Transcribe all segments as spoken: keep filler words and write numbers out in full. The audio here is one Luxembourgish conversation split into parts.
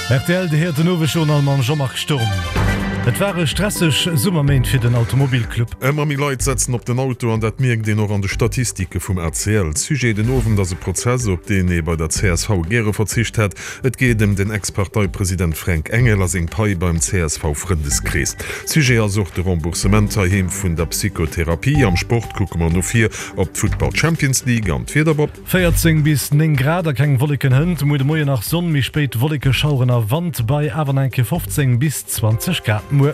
Rtl, Dir héiert den Owesjournal mam Jean-Marc Sturm. Et ware stresseg Summerméint fir den Automobilclub. Ëmmer méi Leit setzen op den Auto an dat mierkt een och an de Statistike vum A C L. Sujet den Owend ass e Prozess, op deen ee bei der C S V gäre verzicht hätt. Et geet ëm den Ex-Parteipresident Fränk Engel a seng Pai beim C S V-Frëndeskrees. Sujet ass och de Remboursement heiheem vun der Psychotherapie. Am Sport kucke mer no vir op d'Futtball Champions League an d'Wieder, Bob. véierzéng bis néng Grad a keng Wolleken hënt. Muer de Moien nach Sonn, méi spéit Wollekeschaueren a Wand bei awer nach eng Kéier fofzéng bis zwanzeg Grad muer.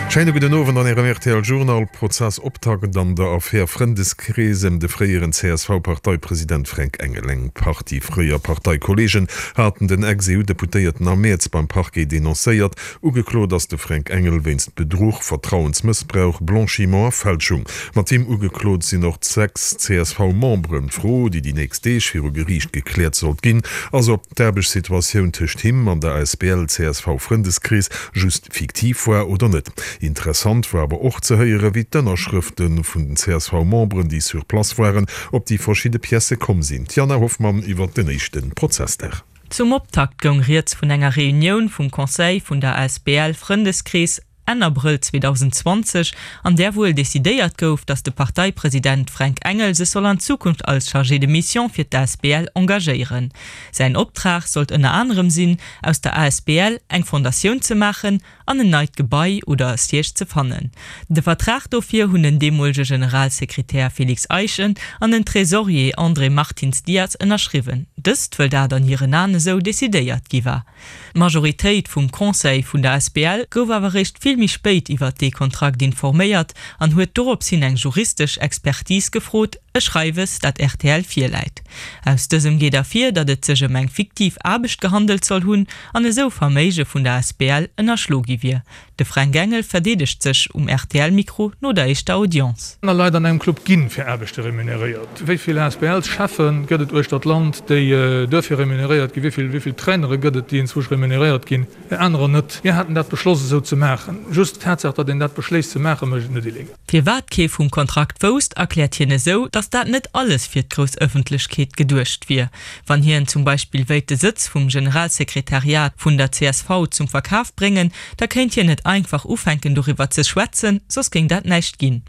Schéine gudden Owend an Ärem R T L Journal. Prozessoptakt an der Affär Frëndeskrees ëm de fréieren C S V-Parteipresident Fränk Engel. Eng Partie fréier Parteikolleegen haten den Ex-E U-Deputéierten am Mäerz beim Parquet denoncéiert. Ugeklot ass de Fränk Engel wéinst Bedruch, Vertrauensmëssbrauch, Blanchiment a Fälschung. Mat him ugeklot sinn och sechs C S V-Memberen. D'Fro, déi déi nächst Deeg viru Geriicht gekläert sollt ginn, ass, ob d'Aarbechtssituatioun tëscht him an der Asbl C S V Frëndeskrees just fiktiv war oder net. Interessant war awer och ze héieren, wéi d'Ënnerschrëfte vun den C S V-Memberen, déi sur place waren, op déi verschidde Piècë komm sinn. D'Jana Hoffmann iwwer den éischte Prozessdag. Zum Optakt goung rieds vun enger Reunioun vum Conseil vun der Asbl Frëndeskrees Enn Abrëll zweedausendzwanzeg, an där wuel decidéiert gouf, datt de Parteipresident Fränk Engel sech soll an Zukunft als Chargé de mission fir d'A S B L engagéieren. Säin Optrag sollt ënner anerem sinn, aus der A S B L eng Fondatioun ze maachen an en neit Gebai oder e Siège ze fannen. De Vertrag dofir hunn den deemolege Generalsekretär Félix Eischen an den Tresorier André Martins Dias ënnerschriwwen, dëst wëll dat an hiren Aen esou decidéiert gi war. D'Majoritéit vum Conseil vun der Asbl gouf awer réischt vill méi spéit iwwert dee Kontrakt informéiert an huet dorops hin eng juristesch Expertise gefrot, e Schreiwes, dat R T L virläit. Aus dësem geet ervir, datt et sech ëm eng fiktiv Aarbecht gehandelt soll hunn an esou Verméige vun der Asbl ënnerschlo gi wier. De Fränk Engel verdeedegt sech um R T L-Mikro no der éischter Audience. Aner Leit an engem Club ginn fir Aarbechte remuneréiert. Wéi vill A S B L-Cheffe gëtt et uechter d'Land, déi duerfir remuneréiert ginn? Wéi vill, wéi vill Trainere gëtt et, déi inzwousch remuneréiert ginn? Anerer net. Mir haten dat beschloss esou ze maachen. Just d'Tatsaach, datt een dat beschléisst ze maachen, mécht et net illegal. Firwat kee vum Kontrakt wousst, erkläert hien esou, datt dat net alles fir d'grouss Ëffentlechkeet geduecht wier. Wann hien zum Beispill wéilt de Sëtz vum Generalsekretariat vun der C S V zum Verkaf bréngen, da kéint hien net einfach ufänken doriwwer ze schwätzen, soss géing dat näischt ginn.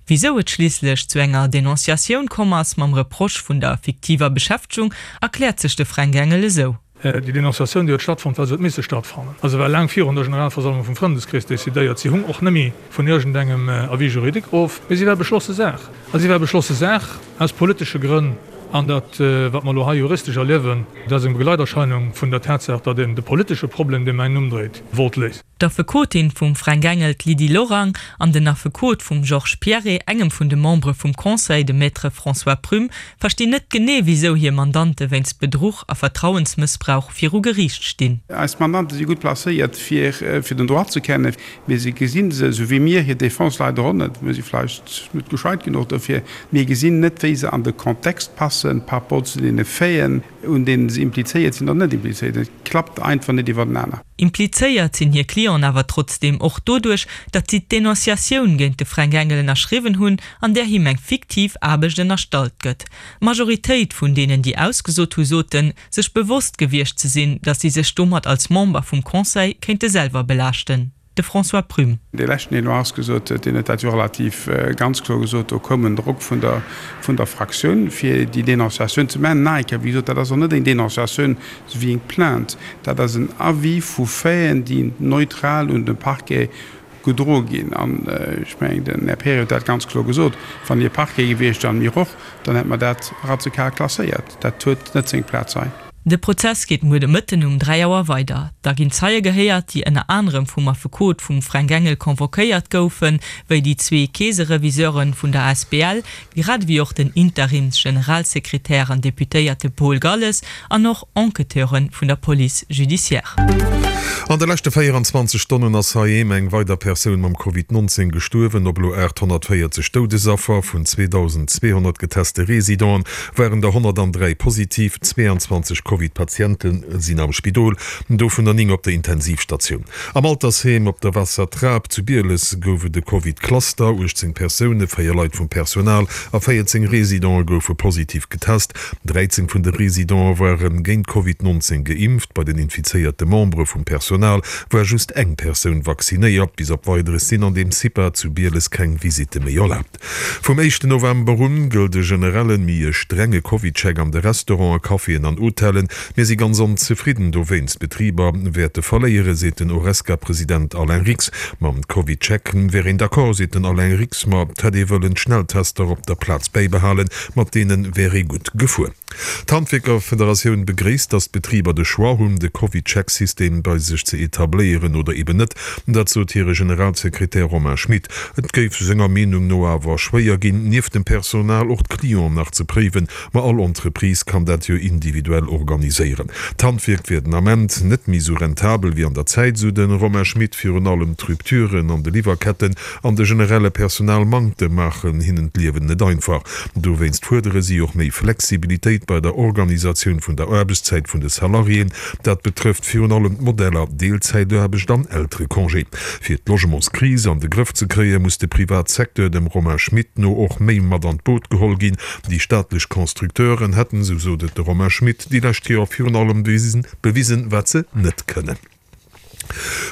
Wisou et schliisslech zu enger Denonciatioun komm ass mam Reproche vun der fiktiver Beschäftegung, erkläert sech de Fränk Engel esou. Déi Denonciatioun, déi huet stattfonnt, well se huet misse stattfannen. A se war laang virun der Generalversammlung vum Frëndeskrees decidéiert. Si hung och nëmme vun iergendengem Avis juridique of, mee si war beschlosse Saach. A si war beschlosse Saach aus politesche Grënn. An dat, wat mer elo hei juristesch erliewen, dat ass eng Begleiterscheinung vun der Tatsaach, datt een de politesche Problem, dee mäin Numm dréit, wollt léisen. D'Affekotin vum Fränk Engel, d'Lydie Lorang, an den Affekot vum Georges Pierret, engem vun de Membere vum Conseil, de Maître François Prüm, verstinn net genee, wisou hir Mandante wéinst Bedruch a Vertrauensmëssbrauch viru Geriicht stinn. Eis Mandante si gutt placéiert, fir fir den Droit ze kennen, mee si gesinn se, esou wéi mir, hir Defense leider och net, mir si vläicht net gescheit genuch dofir, mir gesinn net, wéi se an de Kontext passen par rapport zu deene Faiten, un deenen se implizéiert sinn oder net implizéiert sinn. Et klappt einfach net iwwertenaner. Implizéiert sinn hir Clienten awer trotzdeem och doduerch, datt si d'Denonciatioun géint de Fränk Engel ënnerschriwwen hunn, an där him eng fiktiv Aarbecht ënnerstallt gëtt. D'Majoritéit vun deenen, déi ausgesot hu soten, sech bewosst gewiescht ze sinn, datt si sech domat als Member vum Conseil kéinte selwer belaaschten. De François Prüm. Dee leschten, deen elo ausgesot huet, deen huet dat jo relativ ganz kloer gesot, do koum en Drock vun der, vun der Fraktioun, fir déi Denonciatioun ze maachen. Nach eng Kéier, wéi gesot, dat ass och net eng Denonciatioun esou wéi eng Plainte, dat ass en Avis vu Faiten, déi neutral un de Parquet gedroe ginn. An ech mengen, den Här Pirri huet dat ganz kloer gesot, wann hie Parquet gewiescht an mir och, dann hätte mer dat radikal klasséiert. Dat huet net seng Plaz hei. De Prozess geet muer de Mëtten um dräi Auer weider. Da ginn Zeie gehéiert, déi ënner anerem vum Affekot vum Fränk Engel convoquéiert goufen, wéi déi zwee Keesereviseure vun der Asbl, grad ewéi och den Interims-Generalsekretär an Deputéierte Paul Galles an och Enquêteure vun der Police judiciaire. An de leschte véieranzwanzeg Stonnen ass heiheem eng weider Persoun mam Covid nonzéng gestuerwen. Op elo aathonnertvéierzeg Doudesaffer vun zweedausendzweehonnert geteste Residenten waren der honnertandräi positiv, zweeanzwanzeg Covid Covid-Patiente sinn am Spidol, dovunner néng op der Intensivstatioun. Am Altersheem op der Waassertrap zu Bieles gouf et e Covid-Cluster, uechtzéng Persoune, véier Leit vum Personal a véierzéng Residente goufe positiv getest. dräizéng vun de Residente ware géint Covid nonzéng geimpft. Bei den infizéierte Membere vum Personal war just eng Persoun vaccinéiert. Bis op Weideres sinn an deem CIPA zu Bieles keng Visitte méi erlaabt. Vum éischten November un gëllt e generellen, méi e strenge Covid-Check an de Restauranten, Caféen an Hotellen. Mir si ganz onzefridden dowéinst. D'Betriber wäerte verléieren, seet den Horesca-President Alain Rix. Mam Covid-Check wär een d'accord, seet den Alain Rix, ma et hätt ee wëllen d'Schnelltester op der Plaz bäibehalen, mat deene wär ee gutt gefuer. D'Handwierkerfederatioun begréisst, datt d'Betriber de Choix hunn, de Covid-Check-System bei sech ze etabléieren oder eben net. Dat sot hire Generalsekretär Romain Schmit. Et géif senger Meenung no awer schwéier ginn, nieft dem Personal och d'Clienten nach ze préiwen. Ma all Entreprise kann dat jo individuell organiséieren. D'Handwierk wier den Ament net méi sou rentabel wéi an der Zäit, sou de Romain Schmit. Virun allem d'Rupturen an de Liwwerketten an de generelle Personalmanktem maachen hinnen d'Liewen net einfach. Dowéinst fuerdere si och méi Flexibilitéit bei der Organisatioun vun der Aarbechtszäit vun de Salariéen. Dat betrëfft virun allem d'Modeller Deelzäitaarbecht an Elterecongé. Fir d'Logementskris an de Grëff ze kréien, muss de Privatsecteur dem Romain Schmit no och méi mat an d'Boot geholl ginn. Déi staatlech Constructeuren hätten, sou sot et de Romain Schmit, déi lescht Joer virun allem bewisen, wat se net kënnen.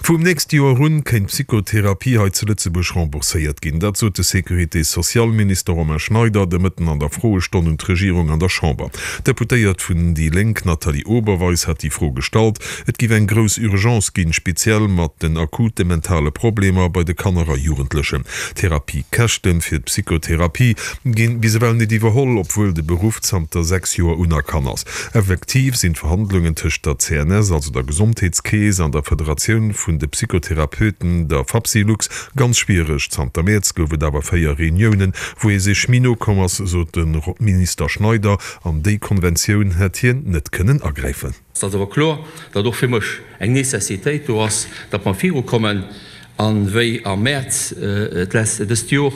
Vum nächste Joer un kéint d'Psychotherapie hei zu Lëtzebuerg rembourséiert ginn. Dat sot de Sécurité-sociale-Minister Romain Schneider de Mëtten an der Froestonn un d'Regierung an der Chamber. D'Deputéiert vun déi Lénk Nathalie Oberweis hat déi Fro gestallt. Et giff eng grouss Urgence ginn, speziell mat den akute mentale Problemer bei de Kanner a Jugendlechen. D'Therapiekäschte fir d'Psychotherapie ginn bis ewell net iwwerholl, obwuel de Beruff zanter sechs Joer unerkannt ass. Effektiv sinn d'Verhandlungen tëscht der C N S, also der Gesondheetskeess, an der Federatioun vun de Psychotherapeuten, der Fapsylux, ganz schwiereg. Zanter Mäerz gouf et awer véier Reuniounen, wou ee sech méi no komm ass, sot de Minister Schneider. An déi Konventioun hätt hien net kënnen agräifen. Et ass awer kloer, datt och fir mech eng Nécessitéit do ass, datt mer virukommen. A wéi am Mäerz dëst Jor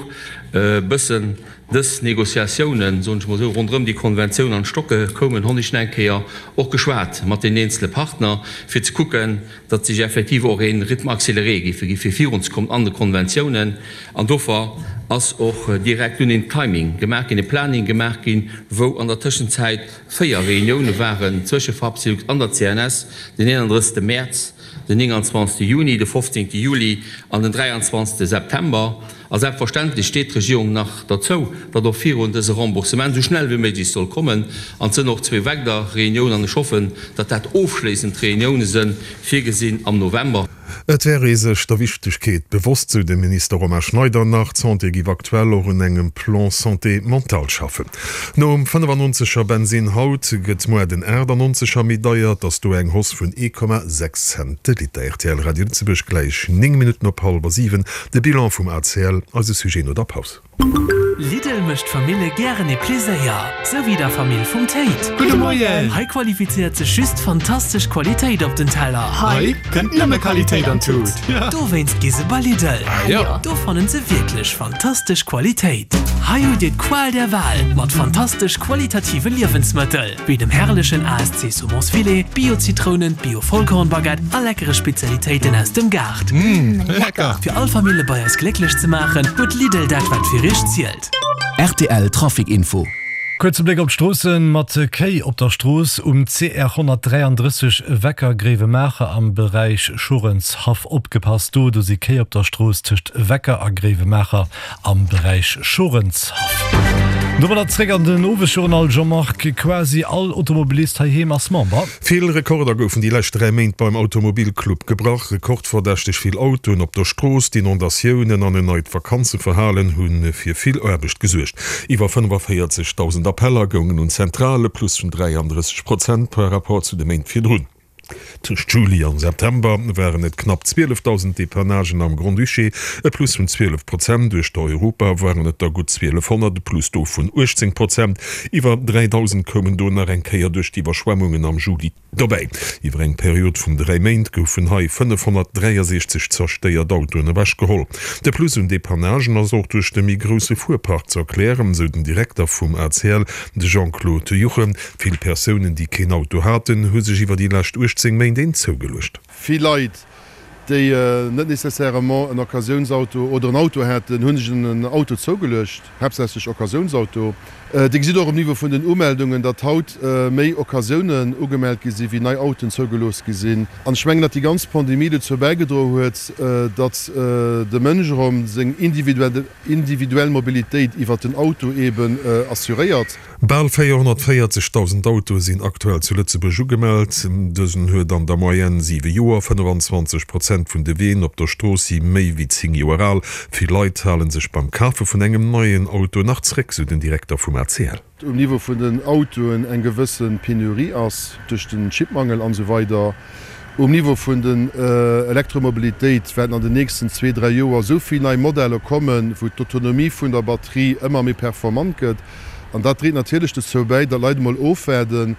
e bëssen dës Négociatiounen, soen ech mol esou, ronderëm déi Konventioun an d'Stocke koumen, honn ech nach eng Kéier och geschwat mat deenen eenzele Partner, fir ze kucken, datt sech effektiv och ee Rythme accéléré géife gi fir virunzekommen an de Konventiounen. An dofir ass och direkt dunn een Timing gemaach ginn, e Planning gemaach ginn, wou an der Tëschenzäit véier Reunioune waren zwësche Fapsylux an der C N S, den eenandrëssegste Mäerz, den nénganzwanzegste Juni, de fofzéngte Juli an den dräianzwanzegste September. A selbstverständlech steet d'Regierung nach derzou, datt och virun dëse Remboursement esou schnell wéi méiglech soll kommen. An et sënn och zwee weider Reuniounen, an ech hoffen, datt dat ofschléissend Reunioune sënn, virgesinn am November. Et wär ee sech der Wichtegkeet bewosst, sou de Minister Romain Schneider nach. D'Santé géif aktuell och un engem Plan santé mentale schaffen. Nom fënnefannonzeger Bensinn haut gëtt muer den aachtannonzeger méi deier. Et ass do eng Hausse vun ee Komma sechs Cent de Liter. Rtl Radio Lëtzebuerg, gläich néng Minutten op hallwer siwen, de Bilan vum A C L, eise Sujet no der Paus. Lidl mécht Famille gären ee Pleséier, sou wéi der Famill vum Théid. Gudde Moien! Hei qualifizéiert sech just fantastesch Qualitéit op den Teller. Hei kënnt nëmme Qualitéit an d'Tut. Dowéinst gi se bei Lidl. Do fannen se wierklech fantastesch Qualitéit. Hei hutt Dir d'Qual der Wahl mat fantastesch qualitative Liewensmëttel, wéi dem herrlechen A S C Saumonsfilet, Bio-Zitrounen, Bio-Vollkornbaguette a leckere Spezialitéiten aus dem Gaart. Mmh, lecker! Fir all Famille bei eis glécklech ze maachen, huet Lidl dat wat fir iech zielt. R T L Trafic Info. Kuerze Bléck op d'Stroossen, Mat Kéi op der Strooss um C R honnertdräiandrësseg Wecker-Gréiwemaacher am Beräich Schorenshaff. Opgepasst do, do si Kéi op der Strooss tëscht Wecker a Gréiwemaacher am Beräich Schorenshaff. Domadder zréck an den Owesjournal, Jean-Marc, quasi all Automobilist heiheem ass Member. Vill Rekorder goufen déi lescht dräi Méint beim Automobilclub gebrach. Rekordverdächteg vill Autoen op der Strooss, d'Inondatiounen an en neit Vakanzeverhalen hu fir vill Aarbecht gesuergt. Iwwer fënnefavéierzegdausend Appeller goungen un d'Zentrale, Plus vun dräiandrësseg Prozent par rapport zu de Méint virdrun. Tëscht Juli an September waren et knapp zwielefdausend Depannagen am Grand-Duché, e Plus vun zwielef Prozent. Uechter Europa waren et der gutt zwielefhonnert, e Plus do vun uechtzéng Prozent. Iwwer dräidausend koumen do nach eng Kéier duerch d'Iwwerschwemmungen am Juli dobäi. Iwwer eng Period vun dräi Méint goufen hei fënnefhonnertdräiasechzeg zerstéiert Autoen ewechgeholl. De Plus un Depannagen ass och duerch de méi grousse Fuerpark ze erklären, sou den Direkter vum A C L, de Jean-Claude Juchem. Vill Persounen, déi keen Auto haten, hu sech iwwer déi lescht uechtzéng Méint een zougeluecht. Vill Leit, déi net nécessairement en Occasiounsauto oder en Auto haten, hu sech en Auto zougeluecht, haaptsächlech Occasiounsauto. Dir gesitt och um Niveau vun den Umeldungen, datt haut méi Occasiounen ugemellt gi sinn, wéi nei Autoen zougelooss gi sinn. An ech mengen, datt déi ganz Pandemie dozou bäigedroe huet, datt de Mënsch erëm seng individuell Mobilitéit iwwert den Auto eeben assuréiert. Bal véierhonnertvéierzegdausend Autoe sinn aktuell zu Lëtzebuerg ugemellt. Dësen huet an der Moyenne siwe Joer. fënnefenzwanzeg Prozent vun de Ween op der Strooss si méi wéi zéng Joer al. Vill Leit hale sech beim Kafe vun engem neien Auto nach zréck, sou den Direkter vum A C L. Um Niveau vun den Autoen eng gewësse Penurie ass duerch den Chipmangel an esou weider. Um Niveau vun den Elektromobilitéit wäerten an den nächsten zwee, dräi Joer esou vill nei Modeller kommen, wou d'Autonomie vun der Batterie ëmmer méi performant gëtt. An dat dréit natierlech dozou bäi, datt Leit emol ofwaarden,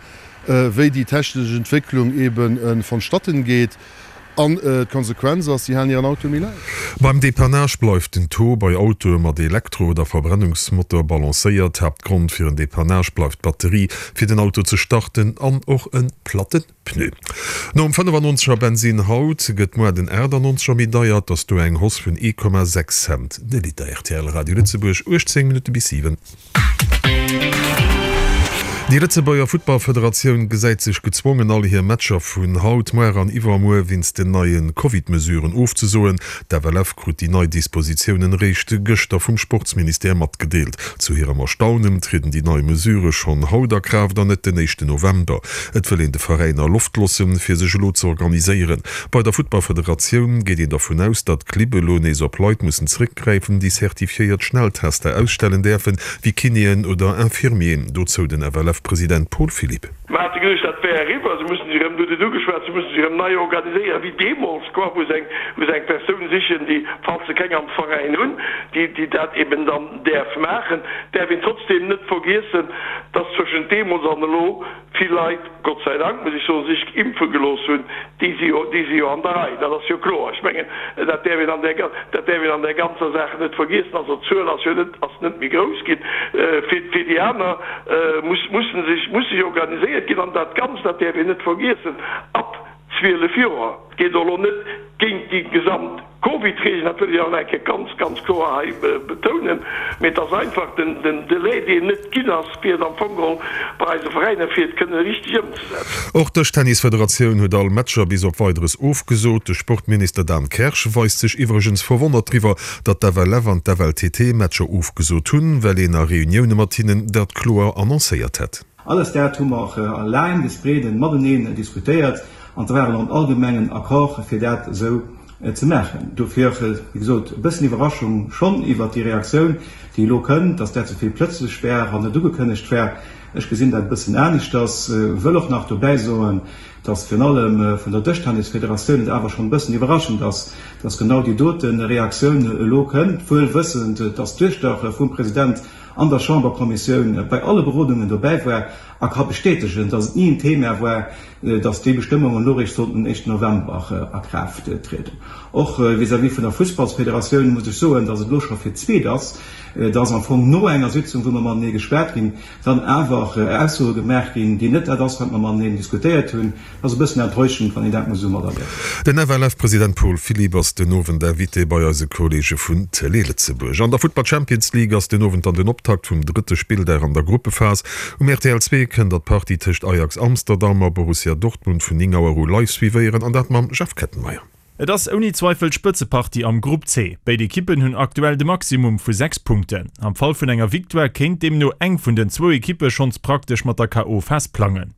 wéi déi technesch Entwécklung eebe vonstatten geet. An d'Konsequenz ass, si halen hiren Auto méi laang. Beim Depannage bleift den Taux bei Autoe mat Elektro oder Verbrennungsmotor balancéiert. Haaptgrond fir en Depannage bleift d'Batterie, fir den Auto ze starten an och e platte Pneu. Nom fënnefannonzeger Bensinn haut gëtt muer den aachtannonzeger méi deier. Et ass do eng Hausse vun ee Komma sechs Cent de Liter. Rtl Radio Lëtzebuerg, uechtzéng Minutte bis siwen. Déi Lëtzebuerger Futtballfederatioun gesäit sech gezwongen, all hir Matcher vun haut, muer an iwwermuer wéinst den neie Covid-Mesuren ofzesoen. D'F L F krut déi nei Dispositiounen eréischt gëschter vum Sportsministère matgedeelt. Zu hirem Erstaunen trieden déi nei Mesurë schonn haut a Kraaft an net den éischten November. Et wëll een de Veräiner Loft loossen, fir sech elo ze organiséieren. Bei der Futtballfederatioun geet een dervun aus, datt d'Clibb elo nees op Leit mussen zeréckgräifen, déi zertifiéiert Schnelltester ausstellen däerfen, wéi Kinéen oder Infirmieren. Dozou den F L F-President Paul Philipp. Mer hate geduecht, dat wär eriwwer, se mussen sech erëm, du hutt et ugeschwat, se mussen sech erëm nei organiséieren, wéi deemools, quoi, wou se eng, wou se eng Persoun sichen, déi, falls se keng am Veräin hunn, déi, déi dat eben dann däerf maachen. Däerf een trotzdeem net vergiessen, dass zwëschent deemools an elo vill Leit, Gott sei Dank, muss ech soen, sech impfe gelooss hunn, déi si jo, déi si jo an der Rei, dat ass jo kloer. Ech mengen, dat däerf een an där, dat däerf een an där ganzer Saach net vergiessen. Also d'Zuel ass jo net, ass net méi grouss ginn. Fir, fir déi aner muss, mussen sech, muss sech organiséiert ginn. An dat Ganzt, dat däerf een net vergiessen, ab zwielef Joer. Et geet och elo net géint déi gesamt Covid-Regeln, dat wëll ech awer nach eng Kéier ganz, ganz kloer hei betounen, mee et ass einfach den Delai, deen net ginn ass, fir et am Fong geholl bei eise Veräiner, fir et kënne richteg ëmzesetzen. Och d'Dëschtennisfederatioun huet all Matcher bis op Weideres ofgesot. De Sportminister Dan Kersch weist sech iwwregens verwonnert driwwer, datt d'F L F an d'F L T T Matcher ofgesot hunn, well een a Reunioune mat hinnen dat kloer annoncéiert hätt. Alles dat hu mer a laang bis breeden mateneen diskutéiert an da war en allgemengen Accord, fir dat esou ze maachen. Dofir, wéi gesot, e bëssen Iwwerraschung schonn iwwert déi Reaktioun, déi elo kënnt, dass dat esou vill plëtzlech wär an net ugekënnegt wär. Ech gesinn dat e bëssen aneschters, wëll och nach dobäi soen, dass virun allem vun der Dëschtennisfederatioun et awer schonn e bëssen iwwerraschend ass, dass genau déi dote Reaktioun elo kënnt, wuel wëssend, dass d'Duechter vum President an der Chamberkommissioun bei alle Berodungen dobäi war a ka bestätegen, dass et ni en Thema war, dass déi Bestëmmungen elo eréischt sollten den éischten November a Kraaft trieden. Och vis-à-vis vun der Fussballsfederatioun muss ech soen, dass et elo scho fir d'zweet ass, dass am Fong no enger Sitzung, wou mer matenee geschwat ginn, dann awer Aussoe gemaach ginn, déi net dat ass, wat mer mateneen diskutéiert hunn. Dat ass e bëssen enttäuschend, wann een dat muss esou materliewen. Den F L F-President Paul Philipp ass den Owend Invité bei eise Kolleege vun Télé Lëtzebuerg. An der Futtball Champions League ass den Owend dann den Optakt vum drëtte Spilldag an der Gruppephas. Um R T L zwee kënnt der d'Partie tëscht Ajax Amsterdam a Borussia Dortmund vun néng Auer u live suivéieren, an dat mam Jeff Kettenmeyer. Et ass ouni Zweifel d'Spëtzepartie am Grupp C. Béid Ekippen hunn aktuell de Maximum vu sechs Punkten. Am Fall vun enger Victoire kéint deemno eng vun den zwou Ekippe schonns praktesch mat der K O Phas plangen.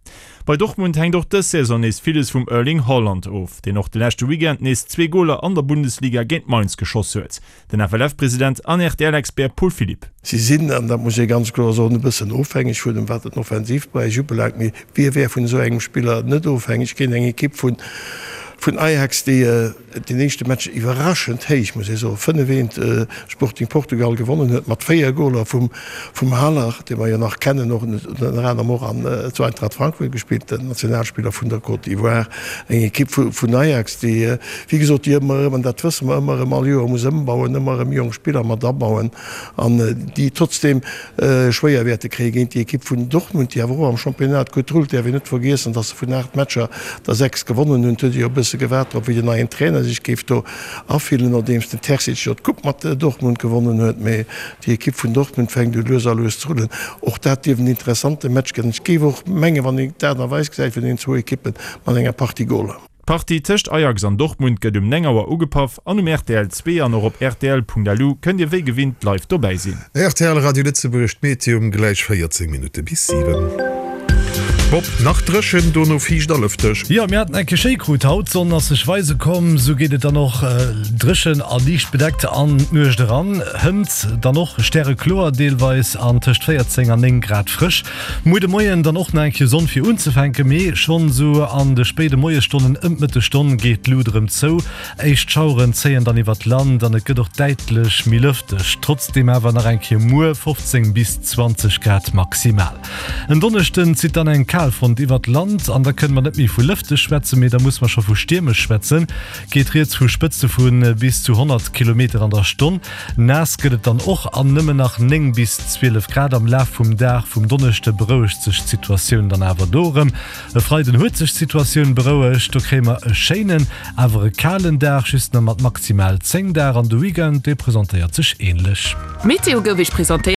Bei Dortmund hänkt och dës Saison nees villes vum Erling Haaland of, deen och de leschte Weekend nees zwee Goler an der Bundesliga géint Mainz geschoss huet. Den F L F President an R T L-Expert Paul Philipp. Si sinn, an dat muss ee ganz kloer soen, e bëssen ofhängeg vun em, wat den Offensivberäich ubelaangt. Mee wie wär vun esou engem Spiller net ofhängeg géint eng Ekipp vun vun Ajax, déi den éischte Match iwwerraschend héich, muss ee soen, fënnef eent Sporting Portugal gewonnen huet, mat véier Goler vum vum Haller, dee mer jo nach kennen, och ënner anerem och an zu Eintracht Frankfurt gespillt, den Nationalspiller vun der Côte d'Ivoire. Eng Ekipp vu vun Ajax, déi, wéi gesot, déi ëmmer erëm, an dat wësse mer, ëmmer erëm all Joer muss ëmbauen, ëmmer erëm jonk Spiller mat abauen an déi trotzdeem schwéier wäerte kréie géint déi Ekipp vun Dortmund, déi awer och am Championnat gutt rullt. Däerf een net vergiessen, datt se vun aacht Matcher der sechs gewonnen hunn. Et huet ee jo e bësse gewaart drop, wéi den neien Trainer sech géif do afillen, nodeems den Terzic jo d'Coupe mat Dortmund gewonnen huet. Mee déi Ekipp vun Dortmund fänkt u lues a lues ze rullen. Och dat dierf en interessante Match ginn. Ech géif och mengen, wann een d'Aart a Weis gesäit vun deenen zwou Ekippen, mat enger Partie Goler. D'Partie tëscht Ajax an Dortmund gëtt um néng Auer ugepaff an um rtl zwee an och op rtl.lu kënnt Dir wéi gewinnt live dobäi sinn. Rtl Radio Lëtzebuerg, D'Meteo um gläich véierzéng Minutte bis siwen. Bob, nach dréchen, dono fiicht a lëfteg. Jo, mir haten eng Kéier schéi krut haut, d'Sonn ass sech weise komm, sou geet et dann och dréchen a liicht bedeckt an d'Nuecht eran. Hënt dann och stärekloer deelweis an tëscht véierzéng an néng Grad frësch. Muer de Moien dann och nach eng Kéier Sonn fir unzefänken, mee schonn sou an de spéide Moiesstonnen ëm d'Mëttesstonn geet d'Lut erëm zou. Éischt Schaueren zéien dann iwwert d'Land an et gëtt och däitlech méi lëfteg, trotzdeem awer nach eng Kéier muer fofzéng bis zwanzeg Grad maximal. En Donneschden zitt dann eng Kalfront iwwert d'Land an da kënne mer net méi vu lëfteg schwätzen, mee da musse mer scho vu stiermesch schwätzen. Geet rieds vu Spëtze vu bis zu honnert Kilometer an der Stonn. Naass gëtt et dann och an nëmmen nach néng bis zwielef Grad. Am Laf vum Dag vum Donneschde berouegt sech d'Situatioun dann awer do erëm. E Freiden huet sech d'Situatioun berouegt, do kréie mer e schéinen, awer e kalen Dag, just nach mat maximal zéng Dag an de Weekend, dee presentéiert sech änlech. D'Meteo gouf Iech presentéiert.